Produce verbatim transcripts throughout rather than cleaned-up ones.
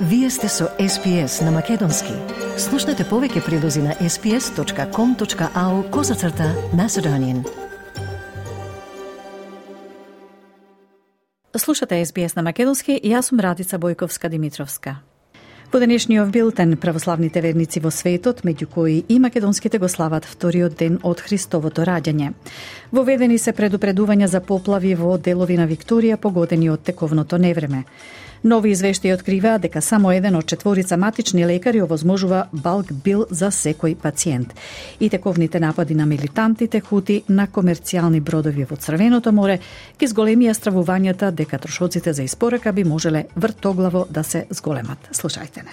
Вие сте со Ес Би Ес на Македонски. Слушнете повеќе прилози на ес би ес точка ком точка ау козацрта Macedonian. Слушате Ес Би Ес на Македонски и јас сум Радица Бојковска-Димитровска. Во денешниот билтен православните верници во светот, меѓу кои и македонските, го слават вториот ден од Христовото раѓање. Воведени се предупредувања за поплави во делови на Викторија погодени од тековното невреме. Нови извештаи откриваат дека само еден од четворица матични лекари овозможува балк бил за секој пациент. И тековните напади на милитантите хути на комерцијални бродови во Црвеното море ги зголемија стравувањата дека трошоците за испорака би можеле вртоглаво да се зголемат. Слушајте не.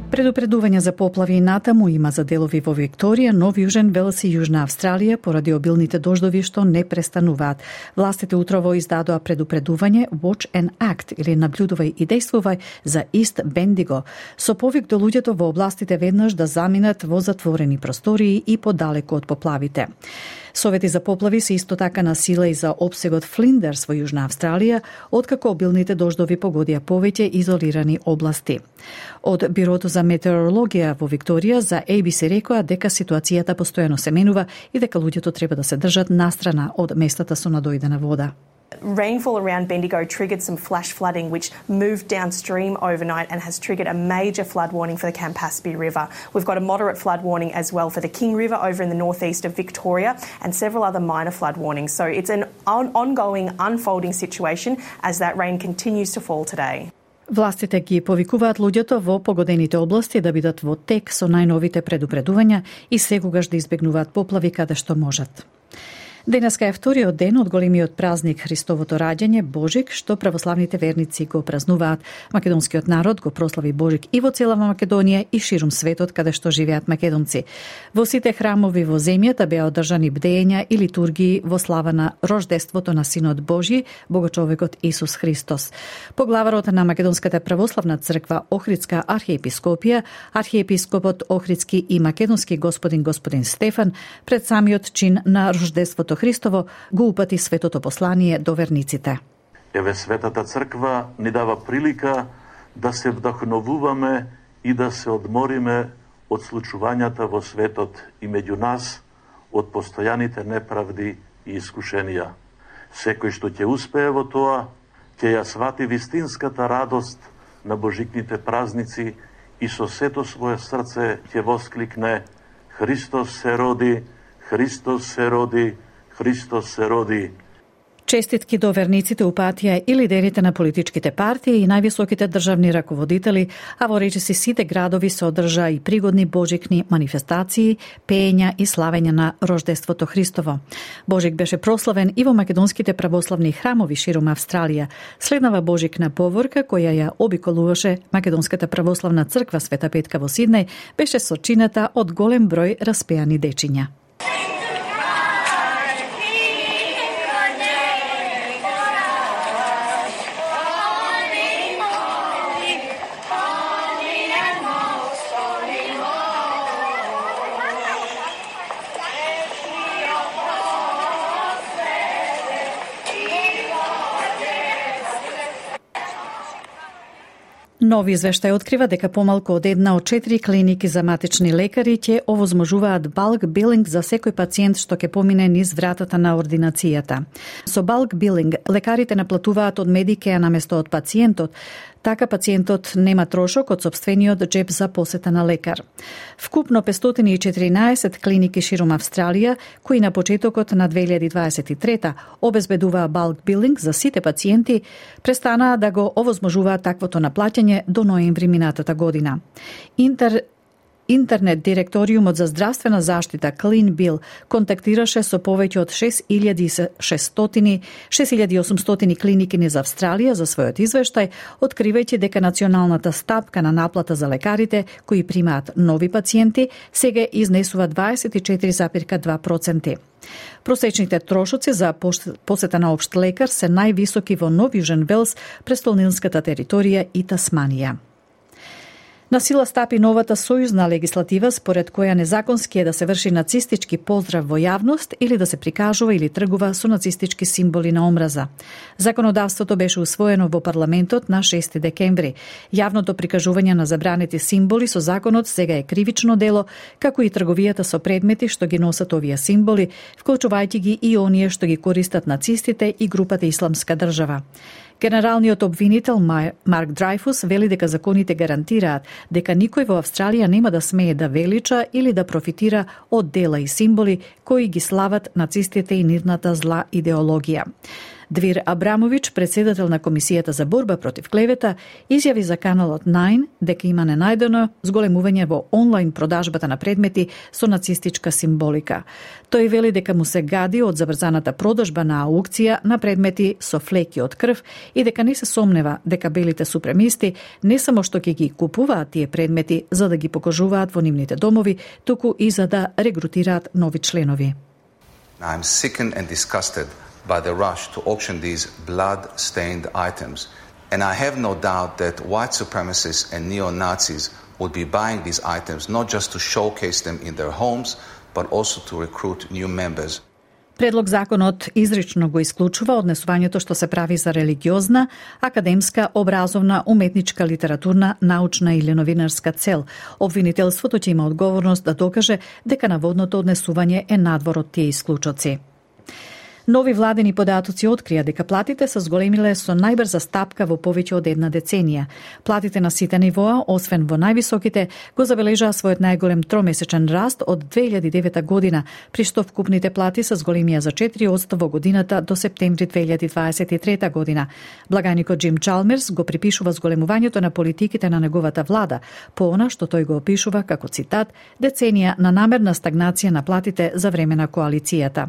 Предупредување за поплави натаму има за делови во Викторија, Нов Јужен Велс и Јужна Австралија поради обилните дождови што не престануваат. Властите утрово издадоа предупредување Watch and Act или наблюдувај и действувај за Ист Бендиго, со повик до луѓето во областите веднаш да заминат во затворени простории и подалеку од поплавите. Совети за поплави се исто така на сила и за опсегот Флиндерс во Јужна Австралија, откако обилните дождови погодија повеќе изолирани области. Од Бирото за метеорологија во Викторија за Ей Би Си рекоа дека ситуацијата постојано се менува и дека луѓето треба да се држат настрана од местата со надојдена вода. Rainfall around Bendigo triggered some flash flooding which moved downstream overnight and has triggered a major flood warning for the Campaspe River. We've got a moderate flood warning as well for the King River over in the northeast of Victoria and several other minor flood warnings. So it's an on- ongoing, unfolding situation as that rain continues to fall today. Властите ги повикуваат луѓето во погодените области да бидат во тек со најновите предупредувања и секогаш да избегнуваат поплави каде што можат. Денеска е вториот ден од големиот празник Христовото раѓање, Божик, што православните верници го празнуваат. Македонскиот народ го прослави Божик и во цела Македонија и ширум светот каде што живеат македонци. Во сите храмови во земјата беа одржани бдења и литургии во слава на рождеството на Синот Божји, Богочовекот Исус Христос. Поглаварот на Македонската православна црква Охридска архиепископија, архиепископот Охридски и македонски господин господин Стефан, пред самиот чин на рождеството Христово го упати светото послание до верниците. Еве Светата црква ни дава прилика да се вдахновуваме и да се одмориме од случувањата во светот и меѓу нас од постојаните неправди и искушенија. Секој што ќе успее во тоа, ќе ја свати вистинската радост на божикните празници и со сето свое срце ќе воскликне: Христос се роди, Христос се роди, Христос се роди. Честитки до верниците упатија и лидерите на политичките партии и највисоките државни раководители, а во речиси сите градови се одржа и пригодни божикни манифестации, пеења и славење на рождеството Христово. Божик беше прославен и во македонските православни храмови ширум Австралија. Следнава божикна поворка која ја обиколуваше Македонската православна црква Света Петка во Сиднеј беше сочината од голем број распеани дечиња. Нови извештај открива дека помалку од една од четири клиники за матични лекари ќе овозможуваат балк билинг за секој пациент што ќе помине низ вратата на ординацијата. Со балк билинг лекарите наплатуваат од Медикеа наместо од пациентот. Така пациентот нема трошок од сопствениот џеб за посета на лекар. Вкупно петстотини и четиринаесет клиники ширум Австралија, кои на почетокот на две илјади дваесет и трета обезбедуваа балк билинг за сите пациенти, престанаа да го овозможуваат таквото наплаќање до ноември минатата година. Интер Интернет директориумот за здравствена заштита Clean Bill контактираше со повеќе од шест илјади и осумстотини клиники низ Австралија за својот извештај, откривајќи дека националната стапка на наплата за лекарите кои примаат нови пациенти сега изнесува дваесет и четири запирка два проценти. Просечните трошоци за посета на општ лекар се највисоки во Нов Јужен Велс, престолнинската територија и Тасманија. На сила стапи новата сојузна легислатива според која незаконски е да се врши нацистички поздрав во јавност или да се прикажува или тргува со нацистички символи на омраза. Законодавството беше усвоено во парламентот на шести декември. Јавното прикажување на забранети символи со законот сега е кривично дело, како и трговијата со предмети што ги носат овие символи, вклучувајќи ги и оние што ги користат нацистите и групата Исламска држава. Генералниот обвинител Марк Дрейфус вели дека законите гарантираат дека никој во Австралија нема да смее да велича или да профитира од дела и символи кои ги слават нацистите и нивната зла идеологија. Двир Абрамович, председател на Комисијата за борба против клевета, изјави за каналот најн дека има ненајдено зголемување во онлайн продажбата на предмети со нацистичка символика. Тој вели дека му се гади од забрзаната продажба на аукција на предмети со флеки од крв и дека не се сомнева дека белите супремисти не само што ќе ги купуваат тие предмети за да ги покажуваат во нивните домови, туку и за да регрутираат нови членови. I'm sickened and disgusted by the rush to auction these blood-stained items. And I have no doubt that white supremacists and neo-Nazis would be buying these items not just to showcase them in their homes, but also to recruit new members. Предлог законот изрично го исклучува однесувањето што се прави за религиозна, академска, образовна, уметничка, литературна, научна или новинарска цел. Обвинителството ќе има одговорност да докаже дека наводното однесување е надвор од тие исклучоци. Нови владени податоци открија дека платите се зголемиле со најбрза стапка во повеќе од една деценија. Платите на сите нивоа, освен во највисоките, го забележаа својот најголем тромесечен раст од две илјади и девета година, при што вкупните плати се зголемија за четири одсто во годината до септември две илјади дваесет и трета година. Благајникот Джим Чалмерс го припишува зголемувањето на политиките на неговата влада, по она што тој го опишува како цитат деценија на намерна стагнација на платите за време на коалицијата.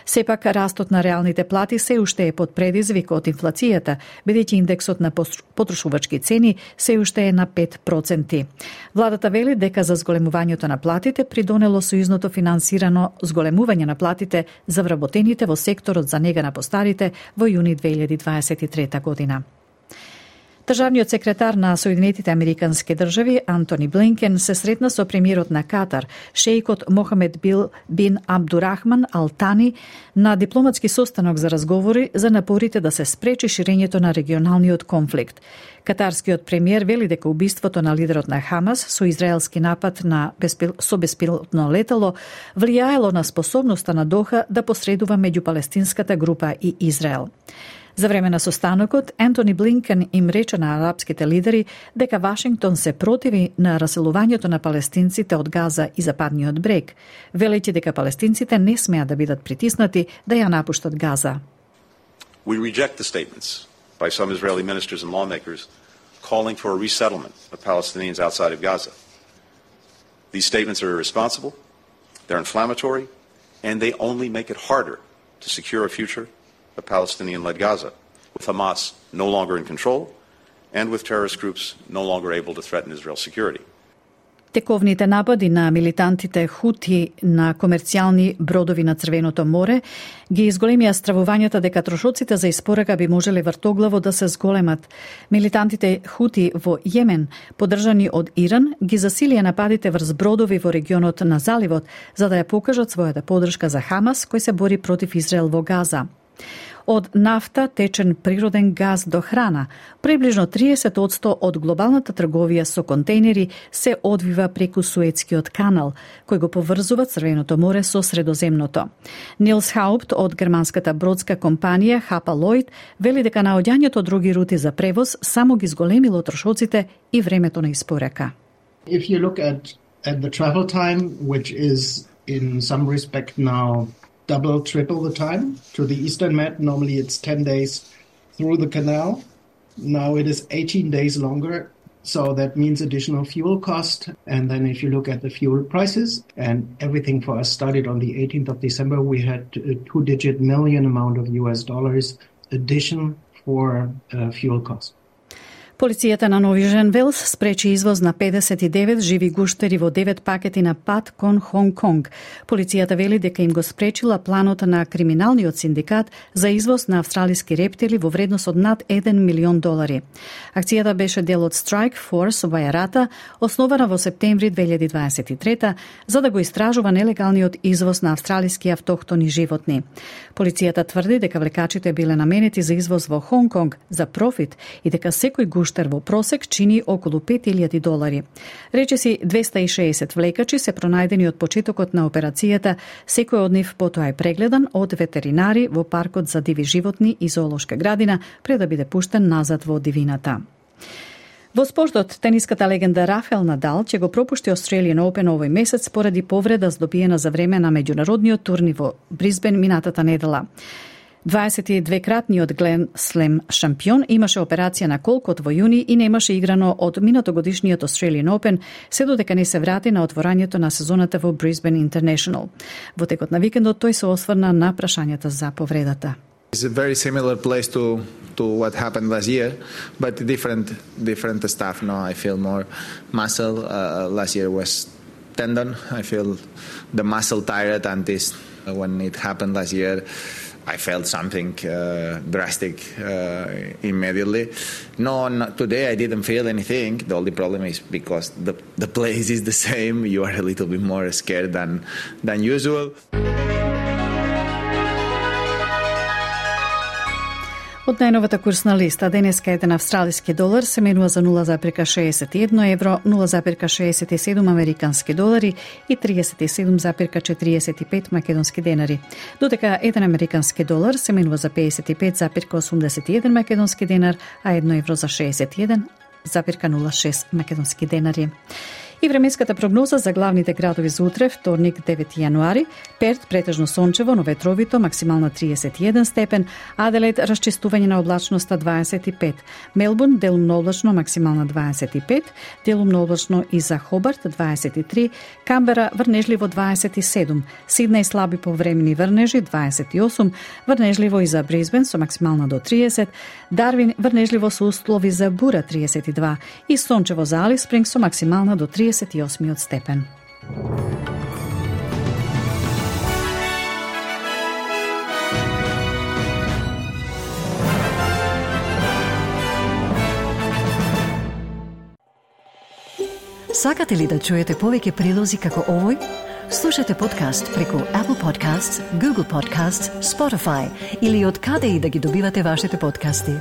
Сепак растот на реалните плати се уште е под предизвик од инфлацијата, бидејќи индексот на потрошувачки цени се уште е на пет проценти. Владата вели дека за зголемувањето на платите придонело сојузното финансирано зголемување на платите за вработените во секторот за нега на постарите во јуни две илјади дваесет и трета година. Државниот секретар на Соединетите Американски држави Антони Блинкен се сретна со премиерот на Катар, шеикот Мохамед бин Абдурахман Ал Тани, на дипломатски состанок за разговори за напорите да се спречи ширењето на регионалниот конфликт. Катарскиот премиер вели дека убиството на лидерот на Хамас со израелски напад на беспил... со беспилотно летало влијаело на способноста на Доха да посредува меѓу палестинската група и Израел. За време на состанокот, Антони Блинкен им рече на арапските лидери дека Вашингтон се противи на раселувањето на палестинците од Газа и Западниот брег, велејќи дека палестинците не смеат да бидат притиснати да ја напуштат Газа. We reject the statements by some Israeli ministers and lawmakers calling for a resettlement of Palestinians outside of Gaza. These statements are irresponsible, they're inflammatory, and they only make it harder to secure a future of Palestinian-led Gaza, with Hamas no longer in control and with terrorist groups no longer able to threaten Israel's security. Тековните напади на милитантите Хути на комерцијални бродови на Црвеното море ги изголемија стравувањата дека трошоците за испорака би можеле вртоглаво да се зголемат. Милитантите Хути во Јемен, поддржани од Иран, ги засилија нападите врз бродови во регионот на заливот за да ја покажат својата поддршка за Хамас кој се бори против Израел во Газа. Од нафта, течен природен газ до храна, приближно триесет одсто од глобалната трговија со контейнери се одвива преку Суетскиот канал, кој го поврзува Црвеното море со Средоземното. Нилс Хаупт од германската бродска компанија Хапа Лойд вели дека наоѓањето други рути за превоз само ги зголемило трошоците и времето на испорака. If you look at at the travel time, which is in some respect now double, triple the time to the Eastern Med. Normally it's ten days through the canal. Now it is eighteen days longer. So that means additional fuel cost. And then if you look at the fuel prices, and everything for us started on the eighteenth of December, we had a two-digit million amount of U S dollars addition for uh, fuel cost. Полицијата на Новижен Велс спречи извоз на педесет и девет живи гуштери во девет пакети на пат кон Хонг Конг. Полицијата вели дека им го спречила планот на криминалниот синдикат за извоз на австралиски рептили во вредност од над еден милион долари. Акцијата беше дел од Strike Force Вајарата, основана во септември две илјади дваесет и трета, за да го истражува нелегалниот извоз на австралиски автохтони животни. Полицијата тврди дека влекачите биле наменети за извоз во Хонг Конг за профит и дека секој гуштер во просек чини околу пет илјади долари. Речиси двеста и шеесет влекачи се пронајдени од почетокот на операцијата, секој од нив потоа е прегледан од ветеринари во паркот за диви животни и зоолошка градина пред да биде пуштен назад во дивината. Во спортот, тениската легенда Рафаел Надал ќе го пропушти Australian Open овој месец поради повреда здобиена за време на меѓународниот турнир во Брисбен минатата недела. дваесет и двекратниот Глен Слем шампион имаше операција на колкот во јуни и немаше играно од минатогодишниот Australian Open, се додека не се врати на отворањето на сезоната во Brisbane International. Во текот на викендот тој се осврна на прашањата за повредата. It's a very similar place to to what happened last year, but different different stuff. No, I feel more muscle. Uh, last year was tendon. I feel the muscle tired, and this when it happened last year, I felt something uh, drastic uh, immediately. No, not today I didn't feel anything. The only problem is because the the place is the same. You are a little bit more scared than than usual. Од најновата курсна листа, денеска еден австралиски долар се менува за нула зарез шеесет и едно евро, нула зарез шеесет и седум американски долари и триесет и седум зарез четириесет и пет македонски денари. Додека еден американски долар се менува за пеесет и пет зарез осумдесет и еден македонски денар, а едно евро за шеесет и еден зарез нула шест македонски денари. И временската прогноза за главните градови за утре, вторник девети јануари: Перт претежно сончево, но ветровито, максимална триесет и еден степен, Аделаид расчистување на облачноста дваесет и пет, Мелбурн делумно облачно, максимална дваесет и пет, делумно облачно и за Хобарт дваесет и три, Камбера врнежливо дваесет и седум, Сиднеј слаби повремени врнежи дваесет и осум, врнежливо и за Брисбен со максимална до триесет, Дарвин врнежливо со услови за бура триесет и два и сончево за Алис Спрингс со максимална до триесет и осмиот степен. Сакате ли да чуете повеќе прилози како овој? Слушате подкаст преку Apple Podcasts, Google Podcasts, Spotify или од каде и да ги добивате вашите подкасти.